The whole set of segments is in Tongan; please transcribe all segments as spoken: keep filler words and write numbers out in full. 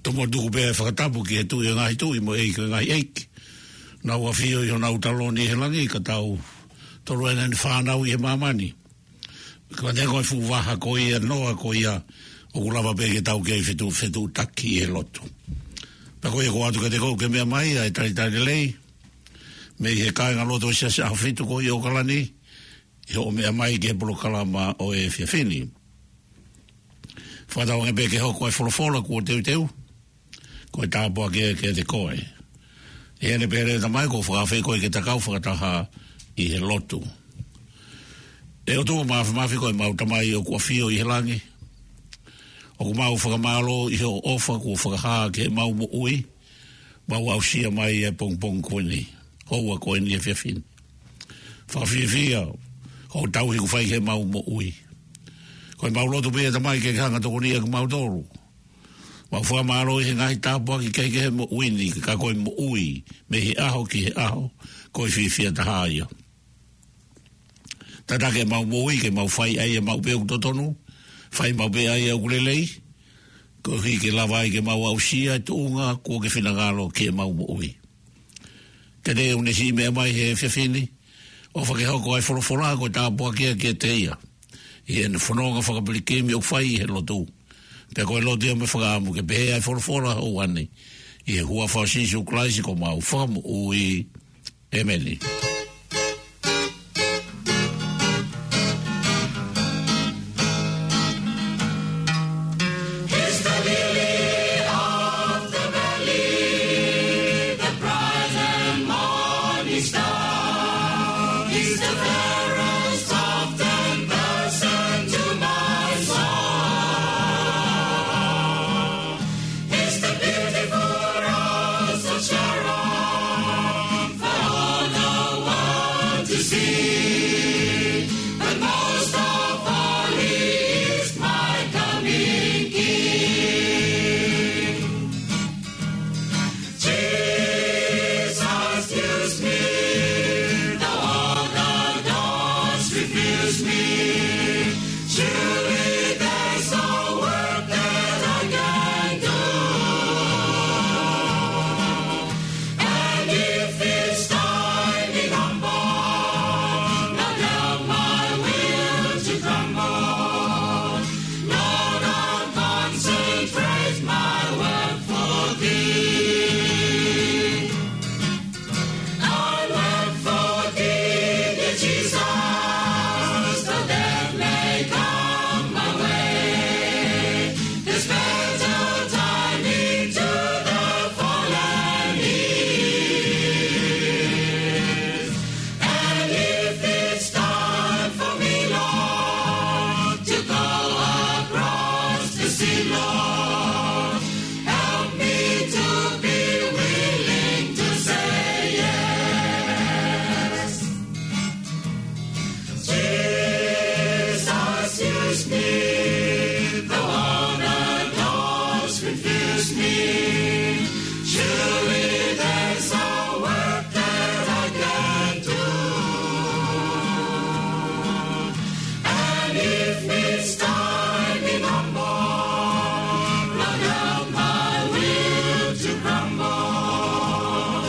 Tomuʻa tuku pē ʻa e fakatapu ki he Tuʻi ʻo e ngaahi tuʻi mo e ʻEiki ʻo e ngaahi ʻeiki. Naʻa nau ʻafio ʻi honau taloni ʻi he langi ka tau tolu ʻena ni fānau ʻi he māmani. Ka te ko e fuʻu vaha ko ia noa ko ia ʻoku lava pē ke tau kei fetu, fetuʻutaki ʻi he lotu. Pea ko ia ʻoku ʻoatu kiate koe ke meʻa mai ʻa e talitali lelei mei he kāingalotu ʻo e Siasi ʻAhofitu ko ia ʻo ʻAokalani, ʻi hoʻo meʻa mai ki he polokalama ʻo e efiafi ni. Fakatauange pē ke hoko ʻa e folofola kuo teuteu ko e tāpuaki ia kiate koe. ʻI heʻene pehē leva ʻe he Tamai, ʻoku ou fakaafeʻi koe ke ta kau fakataha ʻi he lotu. ʻE ʻOtua Māfimafi, ko ʻemau Tamai ʻoku ʻafio ʻi he langi, ʻoku mau fakamālō ʻi hoʻo ʻofa kuo fakahā ki heʻemau moʻui, mau aʻusia mai ʻa e pongipongi ko eni, houa ko eni, efiafi ni. Fakafiefia hoʻo tauhi kuo fai ki heʻemau moʻui. Ko ʻemau lotu pē, Tamai, ke ke hanga ʻo tokoniʻi kimautolu. Mau fakamālō ʻi he ngaahi tāpuaki kehekehe ʻo e moʻui ni, ka ko e moʻui mei he ʻaho ki he ʻaho, ko e fiefia taha ia. Tataki ʻemau moʻui ke mau fai ʻa ia maʻu pē ʻoku totonu, fai maʻu pē ʻa ia ʻoku lelei, koeʻuhi ke lava ai ke mau aʻusia e tuʻunga kuo ke finangalo ki heʻemau moʻui. Kiate ia ʻoku ne siʻi meʻa mai he efiafi ni, ʻofa ke hoko ʻa e folofola ko e tāpuaki ia kiate ia ʻi heʻene fononga fakapilikimi ʻoku fai ʻi he lotu. Pea ko e lotu ia mo e fakaʻamu ke pehē ʻa e folofola ʻo e ʻaho ni, ʻi he huafa ʻo Sīsū Kalaisi ko homau Fakamoʻui. ʻĒmeni. He's the lily of the valley, the bright and morning star. He's the fairest of ten thousand to my soul. He's the beautiful rose of Sharon for all the world to see. But most of all, he is my coming King. Jesus, use me, though all the doors refuse me. Surely there's a work that I can do. And if it's time in humble, not help my will to tremble. Lord, I'll concentrate my work for thee. I'll work for thee, dear Jesus, though death may come my way. There's better timing to the fallen is. And if it's time for me, Lord, to go across the sea, Lord, help me to be willing to say yes. Jesus, use me, though all the doors refuse me. Surely there's a work that I can do. And if it's time in humble, not help my will to grumble.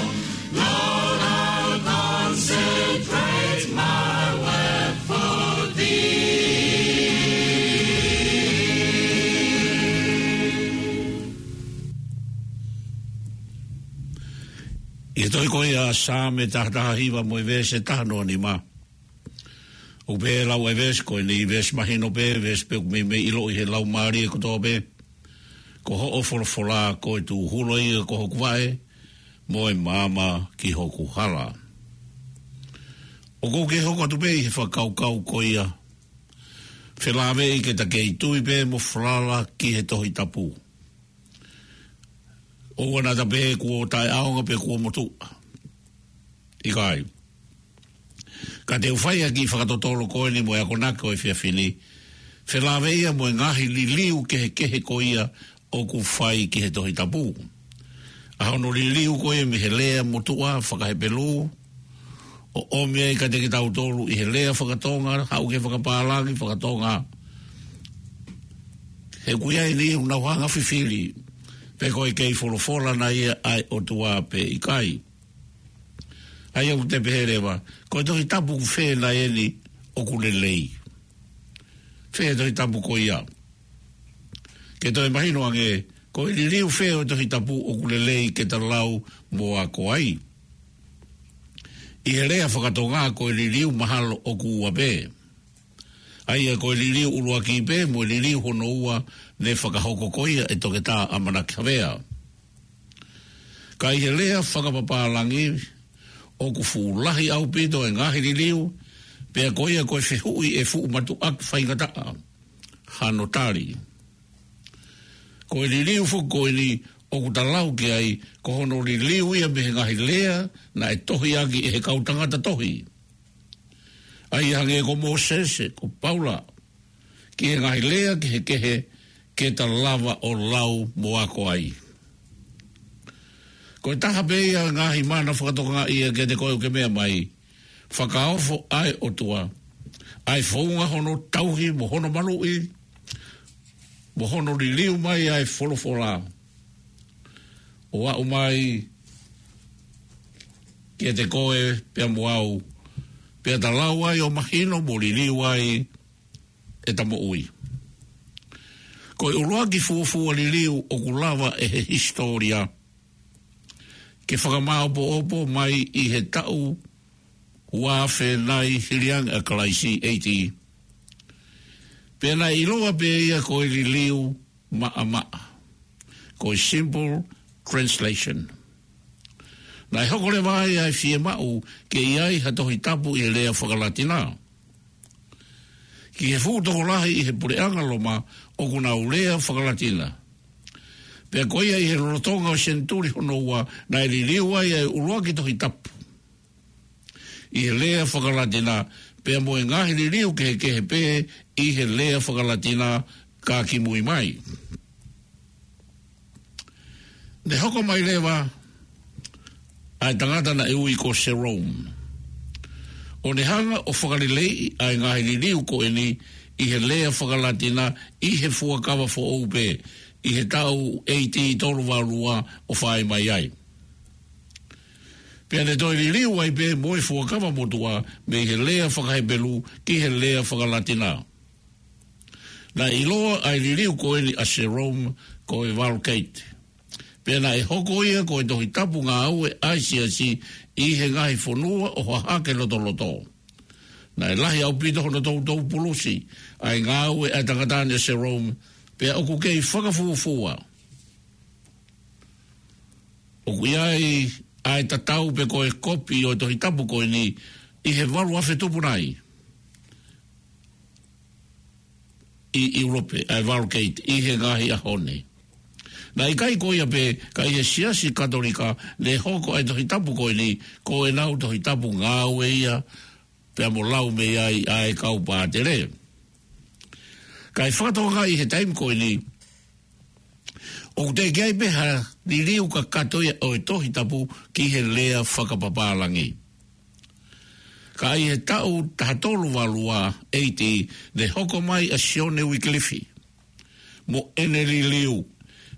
Lord, I'll concentrate my work for thee. ʻI he tohi ko ia ʻa Saame taha taha hiva mo e veesi taha noa nima. ʻOku pehē ʻa e lau ʻa e veesi ko eni, veesi mahino pē, veesi pē ʻoku meimei ʻiloʻi ʻe he laumālie kotoa pē. Ko hoʻo folofola ko e tūhula ia ko hoku vaʻe, mo e maama ki hoku hala. ʻOku ou kei hoko atu pē ʻi he fakakaukau ko ia, felāveʻi ke ta kei tui pē mo falala ki he Tohi Tapu. ʻOua naʻa ta pehē kuo taʻeʻaonga pe kuo motuʻa. ʻIkai. Ka te u fai ʻa e kiʻi fakatotolo ko eni mo e akonaki ʻo e efiafi ni, felāveʻi ia mo e ngaahi liliu kehekehe ko ia ʻoku fai ki he Tohi Tapu. ʻA hono liliu ko ia mei he lea motuʻa faka-Hepelū, ʻo ʻomi ai kiate kitautolu ʻi he lea faka-Tonga, haʻu ki he fakapālangi faka-Tonga. He ʻoku ʻi ai e niʻihi ʻoku nau hanga ʻo fifili pe ko e kei folofola nai ia ʻa e ʻOtua pe ʻikai. ʻA ia ʻoku te pehē leva, ko e Tohi Tapu fē nai eni ʻoku lelei? Fē Tohi Tapu ko ia? Ke toe mahino ange, ko e liliu fē ʻo e Tohi Tapu ʻoku lelei ke ta lau mo ako ai? ʻI he lea fakatonga, ko e liliu mahalo ʻoku ua pē. ʻA ia ko e liliu ʻuluaki pē mo e liliu hono ua, ne fakahoko ko ia ʻe Toketā ʻAmanaki Havea. Ka ʻi he lea fakapapālangi, ʻoku fuʻu lahi ʻaupito e ngaahi liliu, pea ko ia ko e fehuʻi ʻe fuʻu matuʻaki faingataʻa hano tali. Ko e liliu foki ko eni ʻoku ta lau ki ai, ko hono liliu ia mei he ngaahi lea naʻe tohi ʻaki ʻe he kau tangata tohi, ʻa ia hangē ko Mōsese, ko Paula, ki he ngaahi lea kehekehe ke ta lava ʻo lau mo ako ai. Ko e taha pē ia ngaahi mana fakatokangaʻi ia kiate koe ʻoku ke meʻa mai, fakaofo ʻa e ʻOtua, ʻa e founga hono tauhi mo hono maluʻi, mo hono liliu mai ʻa e folofola ʻo aʻu mai kiate koe pea mo au, pea ta lau ai ʻo mahino mo liliu ai ʻeta moʻui. Ko e ʻuluaki fuofua liliu ʻoku lava ʻe he hisitōlia ke fakamāopoopo mai ʻi he taʻu ua afe nai hili ange ʻa Kalaisi, A D, pea naʻe ʻiloa pē ia ko e liliu maʻamaʻa, ko e simple translation. Naʻe hoko leva ai ʻa e fiemaʻu ke ʻi ai ha Tohi Tapu ʻi he lea fakalatina. Ki he fuʻu tokolahi ʻi he puleʻanga Loma ʻoku nau lea fakalatina, pea ko ia ʻi he lolotonga ʻo e senituli hono ua naʻe liliu ai ʻa e ʻuluaki Tohi Tapu ʻi he lea fakalatina, pea mo e ngaahi liliu kehekehe pē ʻi he lea fakalatina ka kimui mai. Ne hoko mai leva ʻa e tangata naʻe ui ko Jerome, ʻo ne hanga ʻo fakaleleiʻi ʻa e ngaahi liliu ko eni ʻi he lea fakalatina ʻi he Fuakava Foʻou pē, ʻi he taʻu A D tolu valu ua ʻo fai mai ai. Pea ne toe liliu ai pē mo e Fuakava Motuʻa mei he lea fakaHepelū ki he lea fakalatina. Naʻe ʻiloa ʻa e liliu ko eni ʻa Jerome ko e Vulgate, pea naʻe hoko ia ko e Tohi Tapu ngāue ʻa e Siasi ʻi he ngaahi fonua ʻo Hahake Lotoloto. Naʻe lahi ʻaupito hono toutou pulusi ʻa e ngāue ʻa e tangata ni ʻa Jerome, pea ʻoku kei fakafuofua ʻoku ʻi ai ʻa e tatau pe ko e kopi ʻo e Tohi Tapu ko eni ʻi he valu afe tupu nai ʻi ʻIulope, ʻa e Vulgate ʻi he ngaahi ʻaho ni. Naʻe ʻikai ko ia pē, ka ʻi he Siasi Katolika ne hoko ʻa e Tohi Tapu ko eni ko ʻenau Tohi Tapu ngāue ia, pea mo lau mei ai ʻa e kau pātele. Ka ʻi he fakatokangaʻi he taimi ko eni, ʻoku teʻeki ai pē ha liliu kakato ia ʻo e Tohi Tapu ki he lea fakapapālangi. Ka ʻi he taʻu taha tolu valu ua A D, ne hoko mai ʻa Sione Uikilifi mo ʻene liliu,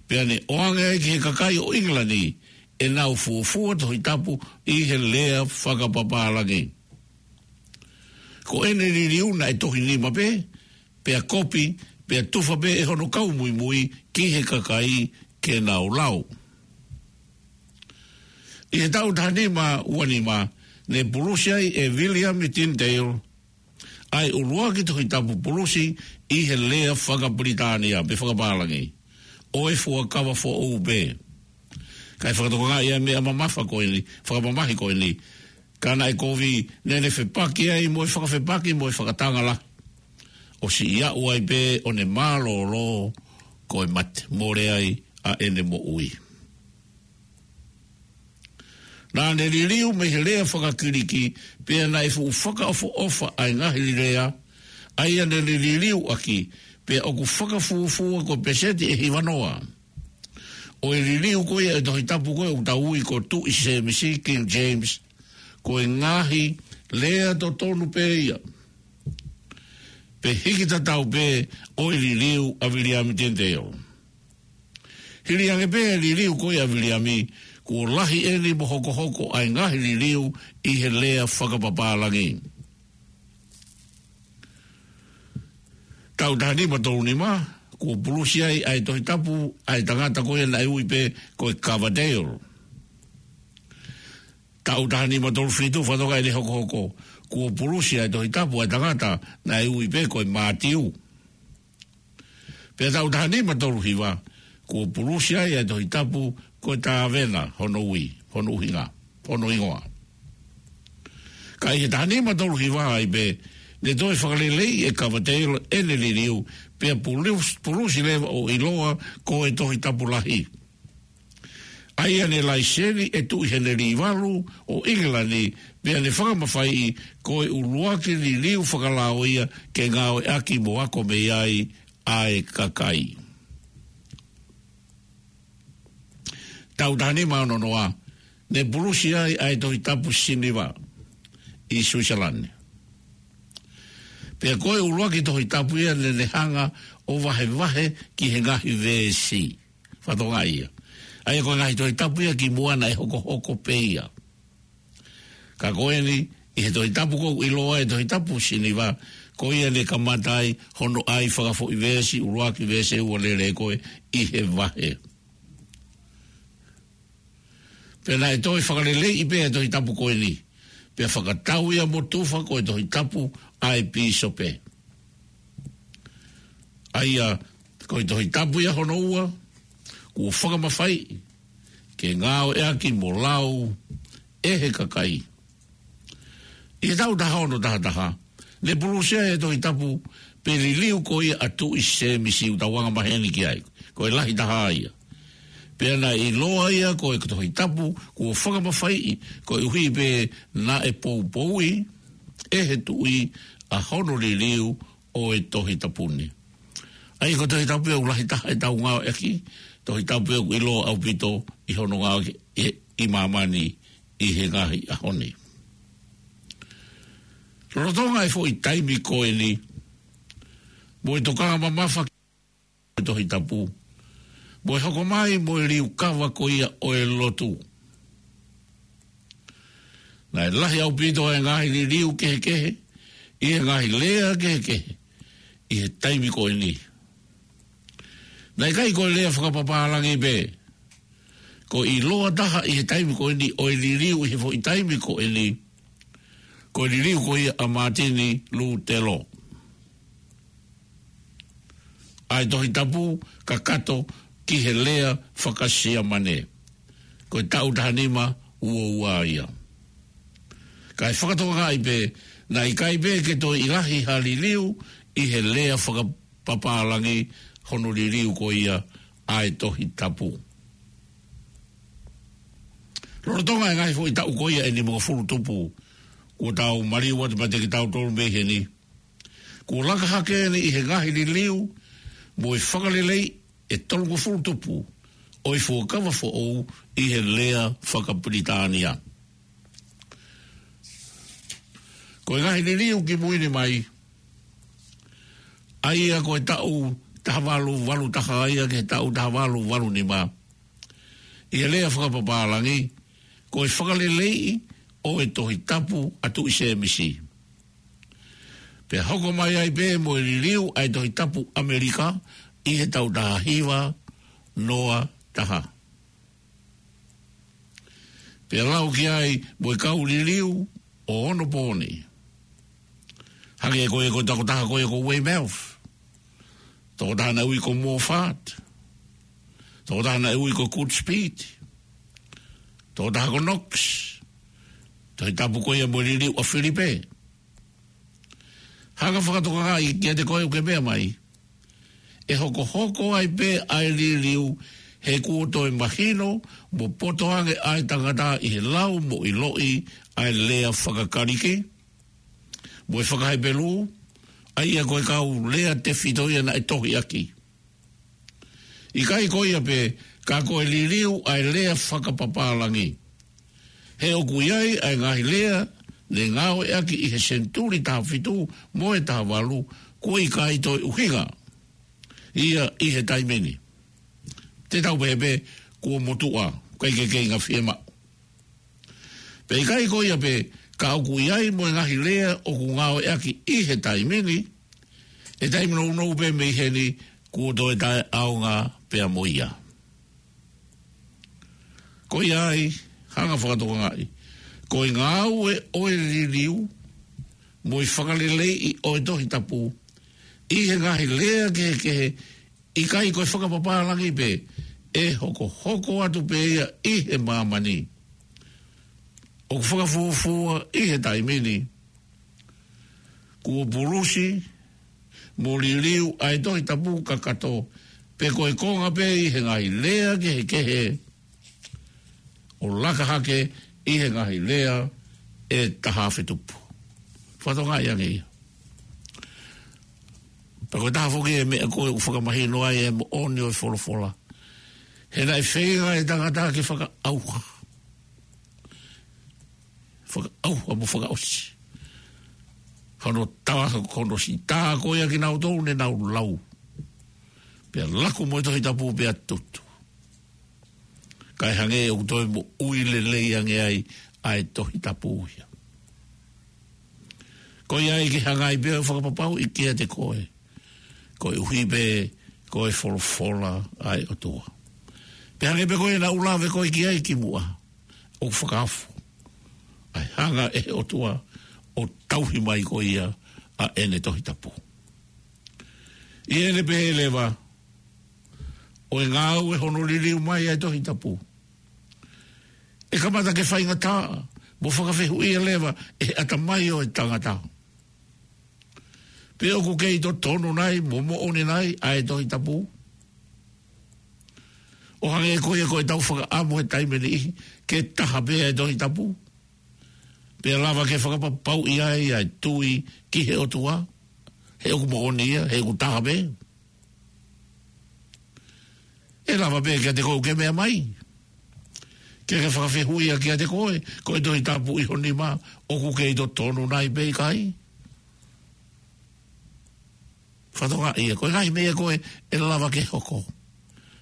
pea ne ʻoange ai ki he kakai ʻo ʻIngilani ʻenau fuofua Tohi Tapu ʻi he lea fakapapālangi. Ko ʻene liliu naʻe tohi nima pē, pea kopi, pea tufa pē ʻe hono kau muimui ki he kakai ke nau lau. ʻI he taʻu taha nima ua nima, ne pulusi ai ʻe Viliami Tindale ʻa e ʻuluaki Tohi Tapu pulusi ʻi he lea fakapilitānia pe fakapālangi, ʻo e Fuakava Foʻou pē. Ka ʻi he fakatokangaʻi ʻa e meʻa mamafa ko eni, fakamamahi ko eni, ka naʻe kovi, naʻa ne fepaki ai mo e fakafepaki mo e fakatanga lahi, ʻo siʻi aʻu ai pē ʻo ne mālōlō ko e mate, mole ai ʻa ʻene moʻui. Naʻa ne liliu mei he lea fakaKiliki, pea naʻe fuʻu fakaʻofoʻofa ʻa e ngaahi lea ʻa ia naʻa ne liliu ʻaki, pea ʻoku fakafuofua ko e peseti ʻe hivanoa ʻo e liliu ko ia ʻo e Tohi Tapu ko ē ʻoku tau ui ko Tuʻi Sēmisi, King James, ko e ngaahi lea totonu pē ia, pe hiki tatau pē ʻo e liliu ʻa Viliami Tindale. Hili ange pē e liliu ko ia ʻa Viliami, kuo lahi eni mo hokohoko ʻa e ngaahi liliu ʻi he lea fakapapālangi. Taʻu taha nima tolu nima, kuo pulusi ai ʻa e Tohi Tapu ʻa e tangata ko ia naʻe ui pē ko e Coverdale. Taʻu taha nima tolu fitu, fakatokangaʻi ʻene hokohoko, kuo pulusi ai e Tohi Tapu ʻa e tangata naʻe ui pē ko e Mātiu. Pea taʻu taha nima tolu hiva, kuo pulusi ai ʻa e Tohi Tapu ko e Tāvena, hono ui, hono ʻuhinga, hono hingoa. Ka ʻi he taha nima tolu hiva ai pē, ne toe fakaleleiʻi ʻe Coverdale ʻene liliu, pea pulus-, pulusi leva ʻo ʻiloa ko e Tohi Tapu Lahi. ʻA ia ne laiseni ʻe Tuʻi Henelī Valu ʻo ʻIngilani, pea ne fakamafaiʻi ko e ʻuluaki liliu fakalao ia ke ngāueʻaki mo ako mei ai ʻa e kakai. Taʻu taha nima ono noa, ne pulusi ai ʻa e Tohi Tapu Siniva ʻi Suisalani. Pea ko e ʻuluaki Tohi Tapu ia ne ne hanga ʻo vahevahe ki he ngaahi veesi. Fakatokangaʻi ia. ʻA ia ko e ngaahi Tohi Tapu ia kimuʻa naʻe hokohoko pē ia. Ka ko eni, ʻi he Tohi Tapu ko ē ʻoku ʻiloa ko e Tohi Tapu Siniva, ko ia ne kamata ai hono ʻai fakafoʻi veesi, ʻuluaki veesi ʻe ua lele ko ē ʻi he vahe. Pea naʻe toe fakaleleiʻi pē ʻa e Tohi Tapu ko eni. Pea fakatau ia mo tufa ko e Tohi Tapu ʻa e pīsope. ʻA ia, ko e Tohi Tapu ia hono ua, kuo fakamafaiʻi ke ngāueʻaki mo lau ʻe he kakai. ʻI he taʻu taha ono taha taha, ne pulusi ai e Tohi Tapu pe liliu ko ia ʻa Tuʻi Sēmisi, ʻoku tau anga maheni ki ai. Ko e lahi taha ia. Pea naʻe ʻiloa ia ko e Tohi Tapu kuo fakamafaiʻi, koeʻuhi pē naʻe poupouʻi ʻe he Tuʻi ʻa hono liliu ʻo e Tohi Tapu ni. ʻA ia ko e Tohi Tapu ia ʻoku lahi taha ʻetau ngāueʻaki, Tohi Tapu ia ʻoku ʻiloa ʻaupito ʻi hono ngāueʻaki ʻi, ʻi māmani ʻi he ngaahi ʻaho ni. Lolotonga e foʻi taimi ko eni, mo e tokanga mamafa ki he Tohi Tapu, mo e hoko mai mo e liukava ko ia ʻo e lotu. Naʻe lahi ʻaupito e ngaahi liliu kehekehe, ʻi he ngaahi lea kehekehe, ʻi he taimi ko eni. Naʻe ʻikai ko e lea fakapapālangi pē. Ko e ʻiloa taha ʻi he taimi ko eni ʻo e liliu ʻi he foʻi taimi ko eni, ko e liliu ko ia ʻa Mātini Lūtelo. ʻA e Tohi Tapu kakato ki he lea faka-Siamane. Ko e taʻu taha nima ua ua ia. Kae fakatokangaʻi pē, naʻe ʻikai pē ke toe ʻi ai ha liliu ʻi he lea fakapapālangi hono liliu ko ia ʻa e Tohi Tapu. Lolotonga e ngaahi foʻi taʻu ko ia ʻe nimangofulu tupu, kuo tau maliu atu pea te ke tau tolu mei heni. Kuo laka hake eni ʻi he ngaahi liliu mo e fakaleleiʻi ʻe tolungofulu tupu ʻo e fuakava foʻou ʻi he lea faka-Pilitānia. Ko e ngaahi liliu kimui ni mai, ʻa ia ko e taʻu taha valu valu taha ia ki he taʻu taha valu valu nima, ʻi he lea fakapapālangi, ko e fakaleleiʻi ʻo e Tohi Tapu ʻa Tuʻi Sēmisi. Pea hoko mai ai pē mo e liliu ʻa e Tohi Tapu ʻAmelika ʻi he taʻu taha hiva noa taha. Pea lau ki ai mo e kau liliu ʻo onopooni. Hangē ko e ko e tokotaha ko ia ko Weymouth. Tokotaha naʻe ui ko Moffat. Tokotaha naʻe ui ko Goodspeed. Tokotaha ko Knox. Tohi Tapu ko ia mo e liliu ʻa Filipe. Hanga fakatokangaʻi kiate koe ʻoku ke meʻa mai. ʻE hokohoko ai pē ʻa e liliu he kuo toe mahino mo poto ange ʻa e tangata ʻi he lau mo ʻiloʻi ʻa e lea faka-Kalisi mo e faka-Hepelū, ʻa ia ko e kau lea tefito ia naʻe tohiʻaki. ʻIkai ko ia pē, ka ko e liliu ʻa e lea fakapapālangi. He ʻoku ʻi ai ʻa e ngaahi lea ne ngāueʻaki ʻi he senituli taha fitu mo e taha valu, kuo ʻikai toe ʻuhinga ia ʻi he taimi ni. Te tau pehē pē kuo motuʻa, ʻikai ke kei ngaahi fiemaʻu. Pea ʻikai ko ia pē, ka ʻoku ʻi ai mo e ngaahi lea ʻoku ngāueʻaki ʻi he taimi ni, ʻe taimi nounou pē mei heni kuo toe taʻeʻaonga pea mo ia. Ko ia ai, hanga fakatokangaʻi, ko e ngāue ʻo e liliu, mo e fakaleleiʻi ʻo e Tohi Tapu, ʻi he ngaahi lea kehekehe, ʻikai ko e fakapapālangi pē, ʻe hokohoko atu pē ia ʻi he māmani. ʻOku fakafuofua ʻi he taimi ni, kuo pulusi mo liliu ʻa e Tohi Tapu kakato, pe ko e konga pē ʻi he ngaahi lea kehekehe, ʻo laka hake ʻi he ngaahi lea ʻe taha afe tupu. Fakatokangaʻi ange ia. Pea ko e taha foki e meʻa ko ē ʻoku fakamahino ai e moʻoni ʻo e folofola. He naʻe feinga e tangata ke fakaʻauha. Fakaʻauha mo fakaʻosi. Hono tā, hono sitā ko ia kinautolu ne nau lau. Pea laku mo e Tohi Tapu pea tutu. Kae hangē ʻoku toe moʻui lelei ange ai ʻa e Tohi Tapu ia. Ko ia ai ke hanga ai pē ʻo fakapapauʻi kiate koe. Koeʻuhi pē ko e folofola ʻa e ʻOtua. Pea hangē pē ko ia naʻa ku lave ko ē ki ai kimuʻa. ʻOku fakaafo ʻa e hanga ʻe he ʻOtua ʻo tauhi mai ko ia ʻa ʻene Tohi Tapu. ʻI heʻene pehē leva, ʻo e ngāue hono liliu mai ʻa e Tohi Tapu, ʻe kamata ke faingataʻa mo fakafehuʻia leva ʻe he ʻatamai ʻo e tangata pe ʻoku kei totonu nai mo moʻoni nai ʻa e Tohi Tapu. ʻO hangē ko ia ko ʻetau fakaʻamu he taimi ʻe niʻihi ke taha pē ʻa e Tohi Tapu, pea lava ke fakapapauʻi ai ʻa e tui ki he ʻOtua, he ʻoku moʻoni ia, he ʻoku taha pē. ʻE lava pē kiate koe ʻoku ke meʻa mai, ke ke fakafehuʻia kiate koe, ko e Tohi Tapu ʻi ho nima, ʻoku kei totonu nai pe ʻikai. Fakatokangaʻi ia, ko e ngaahi meʻa ko ē ʻe lava ke hoko.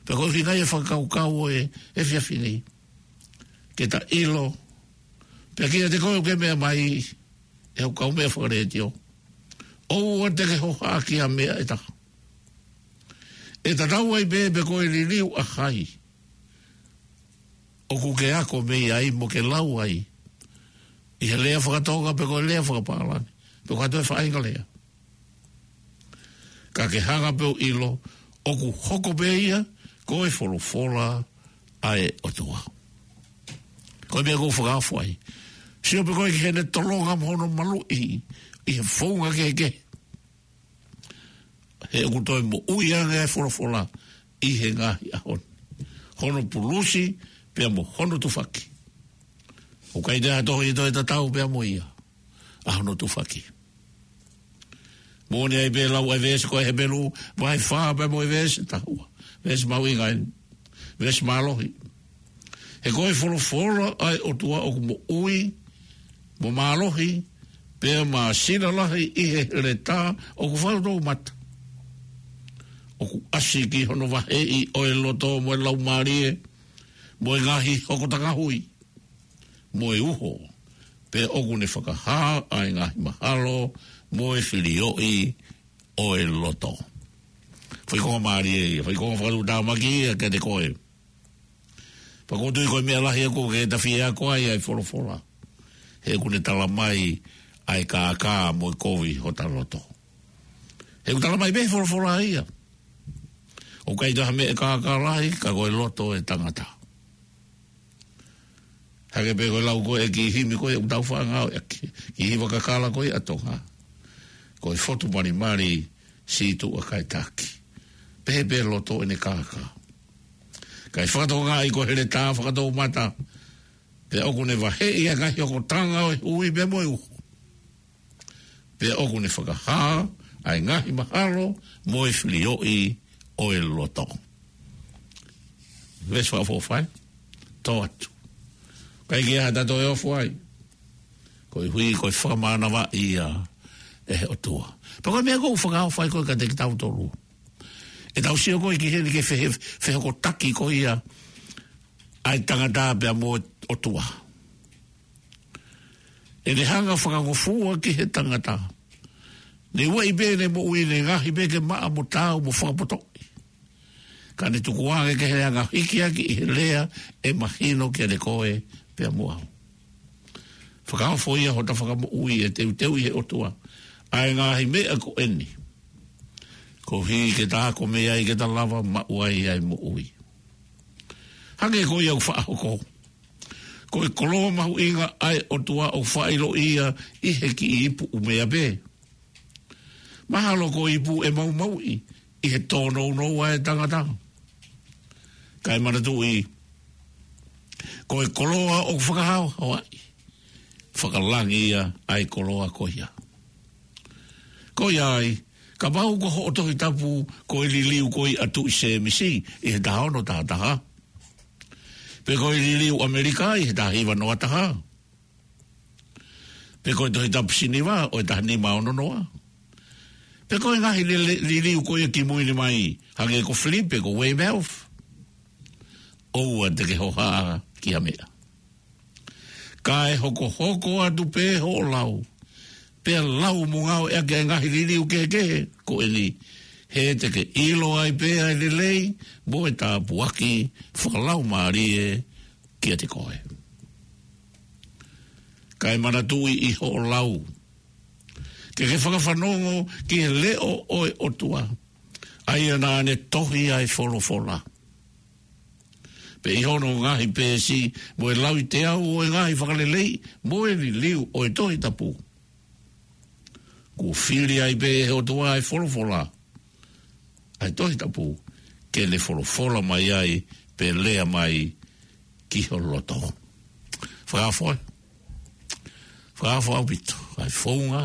Pea ko e ʻuhinga ia e fakakaukau ʻo e efiafi ni, ke ta ʻilo, pea kiate koe ʻoku ke meʻa mai, ʻe hoku kaumeʻa fakalētio, ʻoua te ke hohaʻa ki ha meʻa ʻe taha. ʻE tatau ai pē pe ko e liliu ʻa hai ʻoku ke ako mei ai mo ke lau ai, ʻi he lea fakatonga pe ko e lea fakapālangi, pe ko ha toe faʻahinga lea. Ka ke hanga pē ʻo ʻilo, ʻoku hoko pē ia ko e folofola ʻa e ʻOtua. Ko e meʻa ʻoku ou fakaafo ai. Sio pē koe ki heʻene tolonga mo hono maluʻi ʻi he founga kehekehe, he ʻoku toe moʻui ange ʻa e folofola ʻi he ngaahi ʻaho ni. Hono pulusi pea mo hono tufaki. ʻOku ʻikai te ha tohi ʻe toe tatau pea mo ia ʻa hono tufaki. Moʻoni ai pē lau ʻa e veesi ko e Hepelū vahe fā pea mo e veesi taha ua. Veesi mahuʻinga eni. Veesi mālohi. He ko e folofola ʻa e ʻOtua ʻoku moʻui mo mālohi, pea māsila lahi ʻi he heletā ʻoku fakatouʻosi mata. ʻOku ʻasi ki hono vaheʻi ʻo e loto mo e laumālie, mo e ngaahi hokotanga hui, mo e uho, pea ʻoku ne fakahā ʻa e ngaahi mahalo mo e filioʻi ʻo e loto. Foʻi konga mālie ia, foʻi konga fakatuʻutāmaki ia kiate koe. Pea ʻoku ou tui ko e meʻa lahi ʻoku ke ta fie ako ai ʻa e folofola, he ʻoku ne tala mai ʻa e kākā mo e kovi hota loto. He ʻoku tala mai pē he folofola ia, ʻoku ʻikai toe ha meʻa ʻe kākā lahi ka ko e loto ʻo e tangata. Hangē pē ko e lau ko ē ʻa e kiʻi himi ko ē ʻoku tau faʻa ngāueʻaki, kiʻi hiva kakala ko ē ʻa Tonga. Ko e fotu malimali, sītuʻa kae taki. Pehē pē loto ʻene kākā. Kae fakatokangaʻi ko e heletā fakatouʻosi mata, pea ʻoku ne vaheʻi ʻa e ngaahi hokotanga ʻo e hui pea mo e uho, pea ʻoku ne fakahā ʻa e ngaahi mahalo mo e filioʻi ʻo e loto. Veesi fakaʻofoʻofa ē, tō atu. ʻIkai ke ʻi ai ha taha toe ofo ai. Koeʻuhi ko e fakamānavaʻi ia ʻe he ʻOtua. Pea ko e meʻa ʻoku ou fakaʻofoʻofa ai ko ē kiate kitautolu. ʻE tau sio ko ē ki heni ki he fehe-, fehokotaki ko ia ʻa e tangata pea mo e ʻOtua. ʻE ne hanga fakangofua ki he tangata. Ne ueʻi pē ʻene moʻui, ne ngaohi pē ke maʻa mo taau mo fakapotoʻi. Ka ne tukuange ki heʻene anga hikiaki ʻi he lea ʻe mahino kiate koe pea mo au. Fakaofo ia hota fakamoʻui ʻe teuteu ʻe he ʻOtua ʻa e ngaahi meʻa ko eni, koeʻuhi ke ta ako mei ai ke ta lava maʻu ai ʻa e moʻui. Hangē ko ia ʻoku faʻa hoko, ko e koloa mahuʻinga ʻa e ʻOtua ʻoku faʻa ʻiloʻi ia ʻi he kiʻi ipu ʻumea pē. Mahalo ko e ipu ʻe maumauʻi ʻi he tōnounou ʻa e tangata. Kae manatuʻi, ko e koloa ʻoku fakahaohaoaʻi, fakalangi ia ʻa e koloa ko ia. Ko ia ai, kapau ko hoʻo Tohi Tapu ko e liliu ko ia ʻa Tuʻi Sēmisi ʻi he taha ono taha taha, pe ko e liliu ʻAmelika ʻi he taha hiva noa taha, pe ko e Tohi Tapu Siniva ʻo e taha nima ono noa, pe ko e ngaahi lele-, liliu ko ia kimui ni mai, hangē ko Filipe, ko Weymouth, ʻoua te ke hohaʻa ki ha meʻa. Kae hokohoko atu pē hoʻo lau, pea lau mo ngāueʻaki ʻa e ngaahi liliu kehekehe ko eni, he te ke ʻilo ai pē ʻa e lelei mo e tāpuaki fakalaumālie kiate koe. Kae manatuʻi ʻi hoʻo lau, ke ke fakafanongo ki he leʻo ʻo e ʻOtua, ʻa ia naʻa ne tohi ʻa e folofola, pea ʻi hono ngaahi peesi mo e lauiteau ʻo e ngaahi fakalelei mo e liliu ʻo e Tohi Tapu. Kuo fili ai pē ʻe he ʻOtua ʻa e folofola, ʻa e Tohi Tapu, ke ne folofola mai ai pe lea mai ki ho loto. Fakaofo ē. Fakaofo ʻaupito ʻa e founga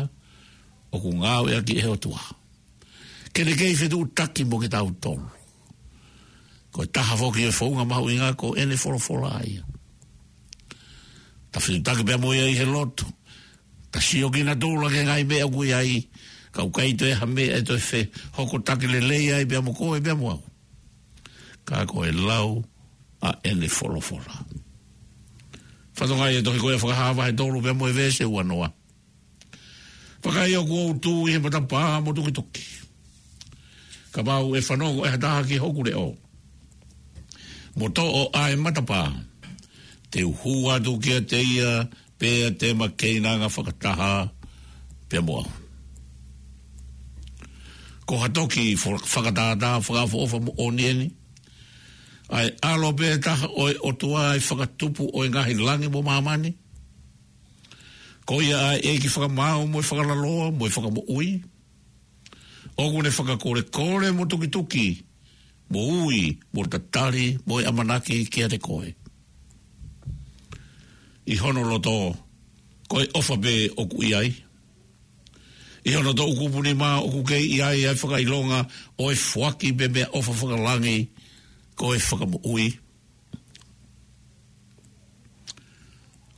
ʻoku ngāueʻaki ʻe he ʻOtua ke ne kei fetuʻutaki mo kitautolu. Ko e taha foki ʻo e founga mahuʻinga ko ʻene folofola ia. Ta fetuʻutaki pea mo ia ʻi he lotu. Ta sio kinautolu ki he ngaahi meʻa ʻoku ʻi ai, ka ʻoku ʻikai toe ha meʻa ʻe toe fehokotaki lelei ai pea mo koe pea mo au, ka ko e lau ʻa ʻene folofola. Fatongia ʻi he tohi ko ia ʻa Fakahā vahe tolu pea mo e veesi ua noa. Vakai, ʻoku ou tuʻu ʻi he matapā mo tukituki. Kapau ʻe fanongo ʻe ha taha ki hoku leʻo, mo toʻo ʻa e matapā, te u hū atu kiate ia, pea te ma keinanga fakataha pea mo au. Ko ha toki fo-, fakatātā fakaʻofoʻofa moʻoni eni. ʻA e ʻAlo pē taha ʻo e ʻOtua, ʻa e Fakatupu ʻo e ngaahi langi mo māmani. Ko ia ʻa e ʻEiki fakamaau mo e fakalaloa mo e fakamoʻui, ʻoku ne fakakolekole mo tukituki, mo ui, mo tatali, mo e ʻamanaki kiate koe. ʻI hono loto, ko e ʻofa pē ʻoku ʻi ai. ʻI hono toʻukupu nima ʻoku kei ʻi ai ʻa e fakaʻilonga ʻo e foaki pē meʻaʻofa fakalangi, ko e fakamoʻui.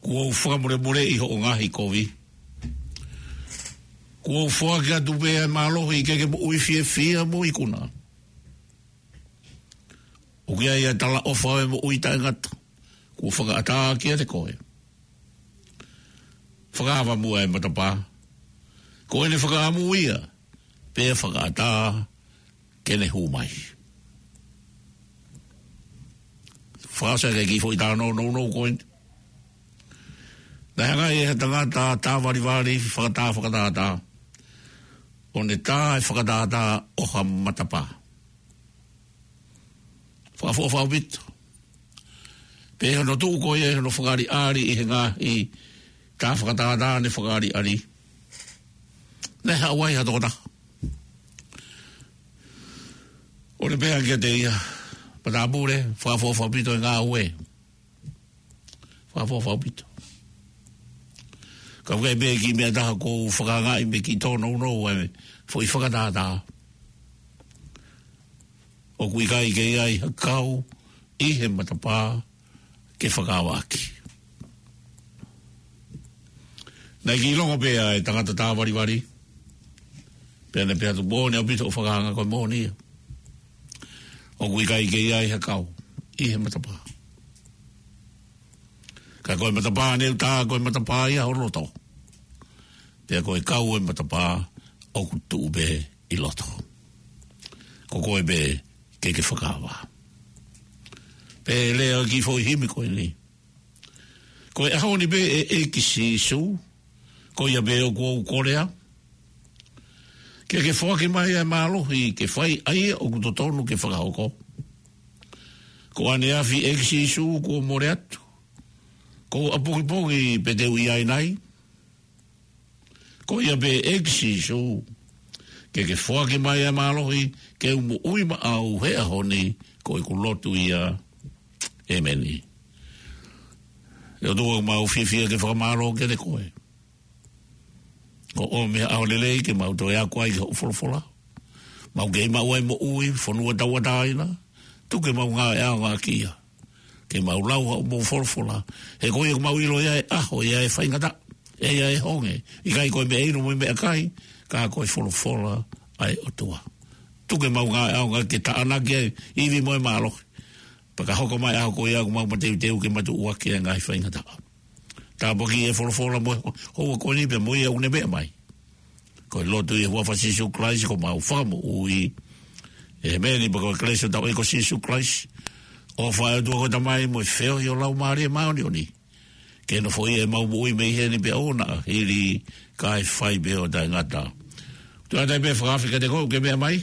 Kuo u fakamolemoleʻi hoʻo ngaahi kovi. Kuo u foaki atu pē ʻa e mālohi ke ke moʻui fiefia mo ikuna. ʻOku ʻi ai ʻa e talaʻofa ʻo e moʻui taʻengata kuo fakaʻatā kiate koe. Fakaava muʻa e matapā. Ko ʻene fakaʻamu ia, pea fakaʻatā ke ne hū mai. Fakaʻosi ʻaki e kiʻi foʻi tā nounou ko eni. Naʻe hanga ʻe ha tangata tā valivali fakatā fakatātā, ʻo ne tā e fakatātā ʻo ha matapā. Fakaʻofoʻofa ʻaupito. Pea ʻi hono tuʻu ko ia ʻi hono fakaʻaliʻali ʻi he ngaahi tā fakatātā ne fakaʻaliʻali, naʻe haʻu ai ha tokotaha ʻo ne pehē kiate ia, Matāpule, fakaʻofoʻofa ʻaupito e ngāue. Fakaʻofoʻofa ʻaupito. Ka ʻoku ʻi ai pē kiʻi meʻa ʻe taha ʻoku ou fakaangaʻi mei he kiʻi tōnounou ʻa e foʻi fakatātā. ʻOku ʻikai ke ʻi ai ha kau ʻi he matapā ke fakaava ʻaki. Naʻe kiʻi longo pē ʻa e tangata tā valivali, pea ne pehē atu, Moʻoni ʻaupito hoʻo fakahanga, ko e moʻoni ia. ʻOku ʻikai ke ʻi ai ha kau ʻi he matapā. Ka ko e matapā ʻa e ʻuta, ko e matapā ia ʻo loto. Pea ko e kau ʻo e matapā ʻoku tuʻu pē ʻi loto. Ko koe pē ke ke fakaava. Pea lea ki foʻi himi ko eni. Ko e ʻaho ni pē ʻe ʻEiki Sīsū, ko ia pē ʻoku ou kolea. Ke ke foaki mai ʻa e mālohi ke fai ʻa ia ʻoku totonu ke fakahoko. Ko ʻaneafi ʻEiki Sīsū kuo mole atu. Ko ʻapongipongi pē te u ʻi ai nai. Ko ia pē ʻEiki Sīsū, ke ke foaki mai ʻa e mālohi ke u moʻui maʻau he ʻaho ni, ko ʻeku lotu ia. ʻEmeni. ʻE ʻOtua, mau fiefia ke fakamālō kiate koe. Ko ʻomi ha ʻaho lelei ke mau toe ako ai ki hoʻo folofola. Mau kei maʻu ai moʻui, fonua tauʻatāina. Tuku ke mau ngāueʻaonga ki ai. Ke mau lau hoʻomou folofola. He ko ia ʻoku mau ʻilo ia ʻe ʻaho, ia ʻe faingataʻa, ʻe ia ʻe honge. ʻIkai ko e meʻa inu mo e meʻa kai, ka ko e folofola ʻa e ʻOtua. Tuku ke mau ngāueʻaonga ke tānaki ai ivi mo e mālohi. Pea ka hoko mai ʻaho ko ia ʻoku mau mateuteu ke matuʻuaki ʻa e ngaahi faingataʻa. Tāpuakiʻi e folofola mo e houa ko eni pea mo ia ʻoku ne meʻa mai. Ko e lotu ʻi he huafa ʻo Sīsū Kalaisi ko homau Fakamoʻui. ʻEmeni. Pea ko e kelesi ʻa hotau ʻEiki ko Sīsū Kalaisi, ʻofa ʻa e ʻOtua ko e Tamai mo e feohi ʻo e Laumālie Māʻoniʻoni, ke nofoʻia ʻemau moʻui mei heni pea ʻo aʻu ki he ʻaho ʻe fai pē ʻo taʻengata. Tuʻu atu ai pē fakaafe kiate koe ʻoku ke meʻa mai.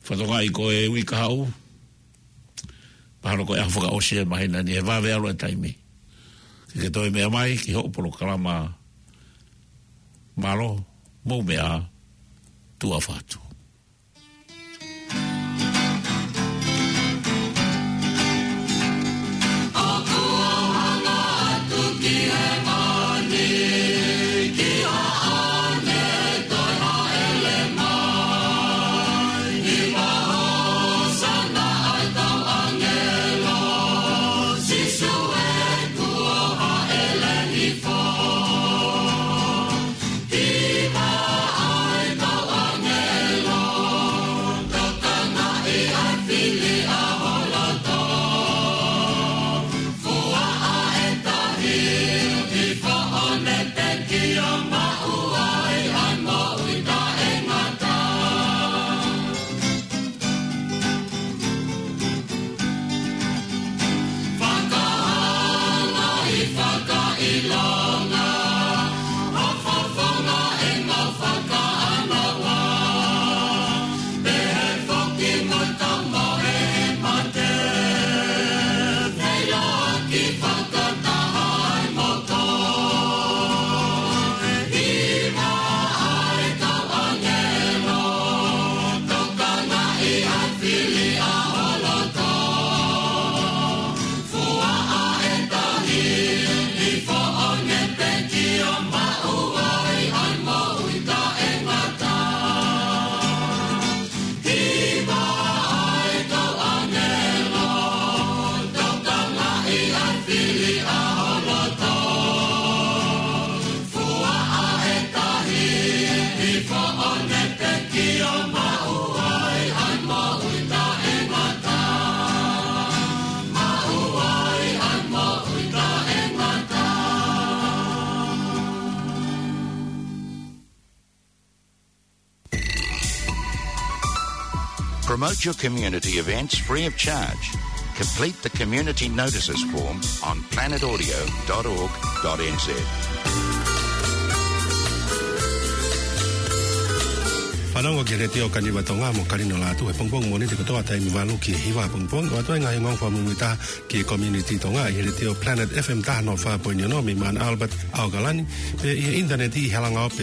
Fakatokangaʻi ko e uike kahaʻu, mahalo ko e ʻaho fakaʻosi ʻo e māhina ni, he vave ʻalu e taimi. Ke ke toe meʻa mai ki hoʻo polokalama. Mālō, mou meʻa ā, tuʻa ʻofa atu. Promote your community events free of charge. Complete the community notices form on planet audio dot org dot N Z. Fanongo ki he Letiō Kaniva Tonga mo Kalino Lātū he pongipongi Mōnite kotoa taimi valu ki he hiva pongipongi, ʻo ʻoatu ai e ngaahi ongoongo fakamuimuitaha ki he community Tonga ʻi he Letiō Planet F M taha noa fā poini ono mei Mount Albert, ʻAokalani, pea ʻi he ʻinitaneti ʻi he halanga ope